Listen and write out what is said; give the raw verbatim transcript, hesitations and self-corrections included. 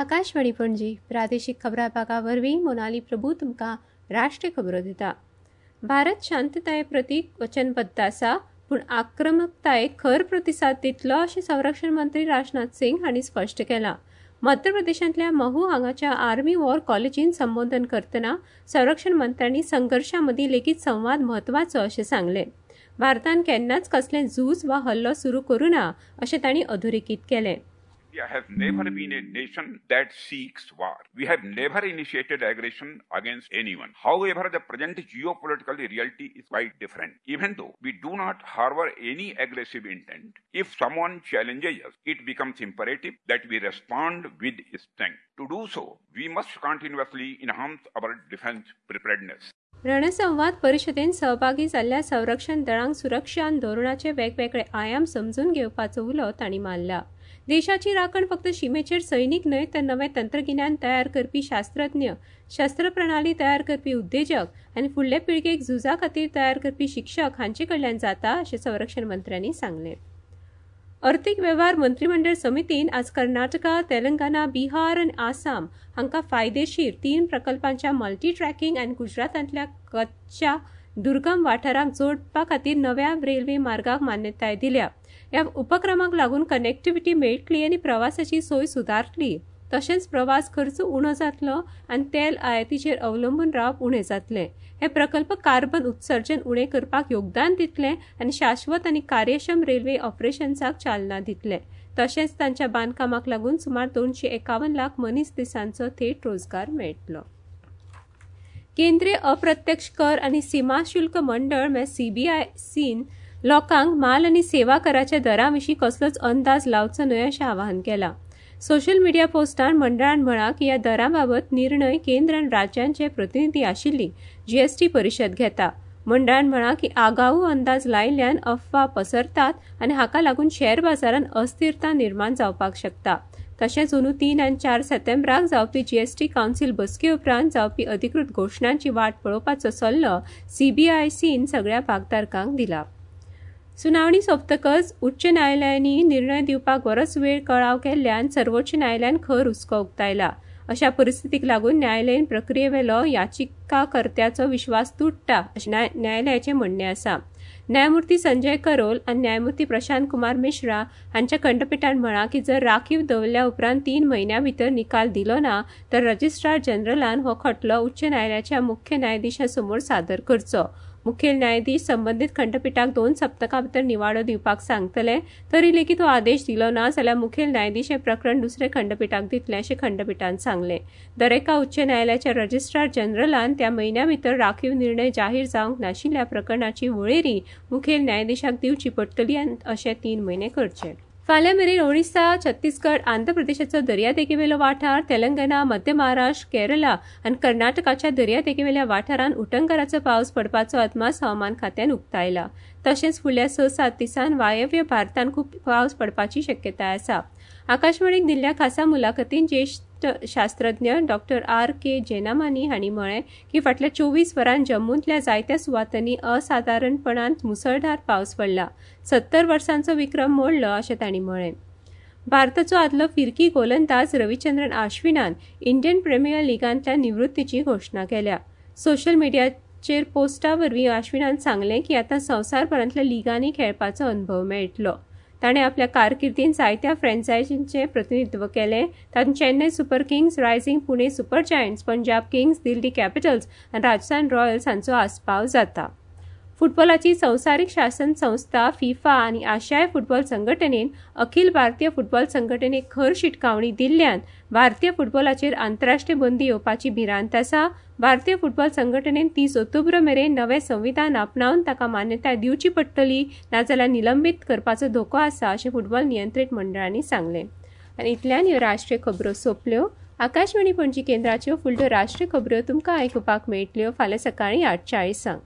आकाशवाणी पणजी प्रादेशिक खबरां भागा वरवीं मोनाली प्रभू तुमकां राष्ट्रीय खबरो दिता. भारत शांतताये प्रती वचनबद्द आसा, पूण आक्रमकतायेक खर प्रतिसाद दितलो अशें संरक्षण मंत्री राजनाथ सिंग हांणी स्पश्ट केलां. मध्य प्रदेशांतल्या महू हांगाच्या आर्मी वॉर कॉलेजीन संबोधन करतना संरक्षण मंत्र्यांनी संघर्शा मदीं लेगीत संवाद म्हत्वाचो अशें सांगलें. भारतान केन्नाच कसलें झूज वा हल्लो सुरू करूं ना अशें तांणी अधोरेखीत केलें. India has never been a nation that seeks war. We have never initiated aggression against anyone. However, the present geopolitical reality is quite different. Even though we do not harbor any aggressive intent, if someone challenges us, it becomes imperative that we respond with strength. To do so, we must continuously enhance our defense preparedness. रणसंवाद परिशदेन सहभागी जाल्ल्या संरक्षण दळांक सुरक्षा आनी धोरणाचे वेगवेगळे आयाम समजून घेवपाचो उलो तांणी मारला. देशाची राखण फक्त शिमेचेर सैनिक न्हय तर नवें तंत्रगिन्यान तयार करपी शास्त्रज्ञ, शस्त्रप्रणाली तयार करपी उद्देजक आनी फुडले पिळगेक झुजा खातीर तयार करपी शिक्षक हांचे कडल्यान जाता अशें संरक्षण मंत्र्यांनी सांगलें. अर्थीक वेव्हार मंत्रीमंडळ समितीन आज कर्नाटका, तेलंगणा, बिहार आनी आसाम हांकां फायदेशीर तीन प्रकल्पांच्या मल्टी ट्रॅकिंग आनी गुजरातांतल्या कच्छच्या दुर्गम वाठारांक जोडपा खातीर नव्या रेल्वे मार्गाक मान्यताय दिल्या. ह्या उपक्रमाक लागून कनेक्टिव्हिटी मेळटली आनी प्रवासाची सोय सुदारतली, तशेंच प्रवास खर्च उणो जातलो आनी तेल आयातीचेर अवलंबून रावप उणें जातलें. हे प्रकल्प कार्बन उत्सर्जन उणें करपाक योगदान दितले आनी शाश्वत आनी कार्यक्षम रेल्वे ऑपरेशन्साक चालना दितले. तशेंच तांच्या बांदकामाक लागून सुमार दोनशे एकावन्न लाख मनीस दिसांचो थेट रोजगार मेळटलो. केंद्रीय अप्रत्यक्ष कर आनी सीमा शुल्क मंडळ म्हळ्यार सीबीआयसीन लोकांक माल आनी सेवा कराच्या दरां विशीं कसलोच अंदाज लावचो न्हय अशें आवाहन केलां. सोशल मिडिया पोस्टान मंडळान म्हळां की ह्या दरां बाबत निर्णय केंद्र आनी राज्यांचे प्रतिनिधी आशिल्ली जीएसटी परिशद घेता. मंडळान म्हळां की आगाऊ अंदाज लायिल्ल्यान अफवा पसरतात आनी हाका लागून शेअर बाजारांत अस्थिरता निर्माण जावपाक शकता. तशेंच अंदू तीन आनी चार सप्टेंबराक जावपी जीएसटी कावन्सिल बसके उपरांत जावपी अधिकृत घोशणांची वाट पळोवपाचो सल्लो सीबीआयसीन सगळ्या भागधारकांक दिला. सुनावणी सोंपतकच उच्च न्यायालयांनी निर्णय दिवपाक बरोच वेळ कळाव केल्ल्यान सर्वोच्च न्यायालयान खर हुस्को उक्तायला. अशा परिस्थितीक लागून न्यायालयीन प्रक्रियेवेलो याचिकाकर्त्याचो विश्वास तुट्टा अशें न्यायालयाचें म्हणणें आसा. न्यायमूर्ती संजय करोल आनी न्यायमूर्ती प्रशांत कुमार मिश्रा हांच्या खंडपिठान म्हळां की जर राखीव दवरल्या उपरांत तीन म्हयन्यां भितर निकाल दिलो ना तर रजिस्ट्रार जनरलान हो खटलो उच्च न्यायालयाच्या मुख्य न्यायाधिशा समोर सादर करचो. मुखेल न्यायाधीश संबंदीत खंडपिठाक दोन सप्तकां भितर निवाडो दिवपाक सांगतले. तरी लेगीत हो आदेश दिलो ना जाल्यार मुखेल न्यायाधीश हें प्रकरण दुसरे खंडपिठाक दितले अशें खंडपिठान सांगलें. दरेका उच्च न्यायालयाच्या रजिस्ट्रार जनरलान त्या म्हयन्या भितर राखीव निर्णय जाहीर जावंक नाशिल्ल्या प्रकरणाची वळेरी मुखेल न्यायाधीशाक दिवची पडटली आनी अशें तीन म्हयने करचे. फाल्यां मेरेन ओडिशा, छत्तीसगड, आंध्र प्रदेशाचो दर्यादेगेवेलो वाठार, तेलंगणा, मध्य महाराष्ट्र, केरला आनी कर्नाटकाच्या दर्यादेगेवेल्या वाठारांत उटंगाराचो पावस पडपाचो अदमास हवामान खात्यान उक्तायला. तशेंच फुडल्या स सात दिसांत वायव्य भारतांत खूब पावस पडपाची शक्यताय आसा. आकाशवाणीक दिल्ल्या खासा मुलाखतीन ज्येश्ठ शास्त्रज्ञ डॉक्टर आर के जेनामानी हांणी म्हळें की फाटल्या चोवीस वरांत जम्मूंतल्या जायत्या सुवातांनी असादारणपणान मुसळधार पावस पडला. सत्तर वर्सांचो विक्रम मोडलो अशें तांणी म्हळें. भारताचो आदलो फिरकी गोलंदाज रविचंद्रन आश्विनान इंडियन प्रिमियर लिगांतल्या निवृत्तीची घोशणा केल्या. सोशल मिडियाचेर पोस्टा वरवीं आश्विनान सांगलें की आतां संवसारभरांतल्या लिगांनी खेळपाचो अनुभव मेळटलो. ताणें आपल्या कारकिर्दीन जायत्या फ्रँचायजींचें प्रतिनिधित्व केलें. तातूंत Chennai Super Kings, Rising Pune Super Giants, Punjab Kings, Delhi Capitals आनी राजस्थान रॉयल्स हांचो आस्पाव जाता. फुटबॉलाची संवसारीक शासन संस्था फिफा आनी आशियाय फुटबॉल संघटनेन अखिल भारतीय फुटबॉल संघटनेक खर शिटकावणी दिल्ल्यान भारतीय फुटबॉलाचेर आंतरराष्ट्रीय बंदी येवपाची भिरांत आसा. भारतीय फुटबॉल संघटनेन तीस ऑक्टोबर मेरेन नवें संविधान आपणावन ताका मान्यताय दिवची पडटली, नाजाल्यार निलंबीत करपाचो धोको आसा अशें फुटबॉल नियंत्रीत मंडळांनी सांगलें. आनी इतल्यान ह्यो राष्ट्रीय खबरो सोंपल्यो. आकाशवाणी पणजी केंद्राच्यो फुडल्यो राष्ट्रीय खबरो तुमकां आयकुपाक मेळटल्यो फाल्यां सकाळीं आठ चाळिसांक.